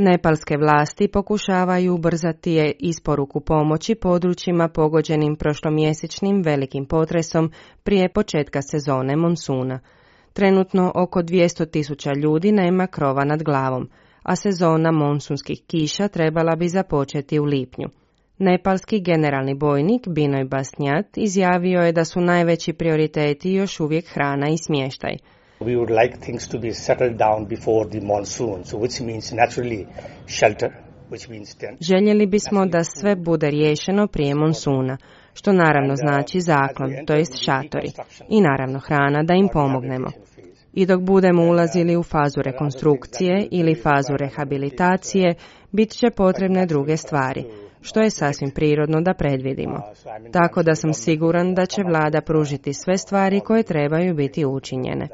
Nepalske vlasti pokušavaju ubrzati isporuku pomoći područjima pogođenim prošlomjesečnim velikim potresom prije početka sezone monsuna. Trenutno oko 200.000 ljudi nema krova nad glavom, a sezona monsunskih kiša trebala bi započeti u lipnju. Nepalski generalni bojnik Binoj Basnjat izjavio je da su najveći prioriteti još uvijek hrana i smještaj. We would like things to be settled down before the monsoon, so which means naturally shelter, which means tent. Željeli bismo da sve bude riješeno prije monsuna, što naravno znači zaklon, to jest šatori, i naravno hrana da im pomognemo. I dok budemo ulazili u fazu rekonstrukcije ili fazu rehabilitacije, bit će potrebne druge stvari, što je sasvim prirodno da predvidimo. Tako da sam siguran da će vlada pružiti sve stvari koje trebaju biti učinjene.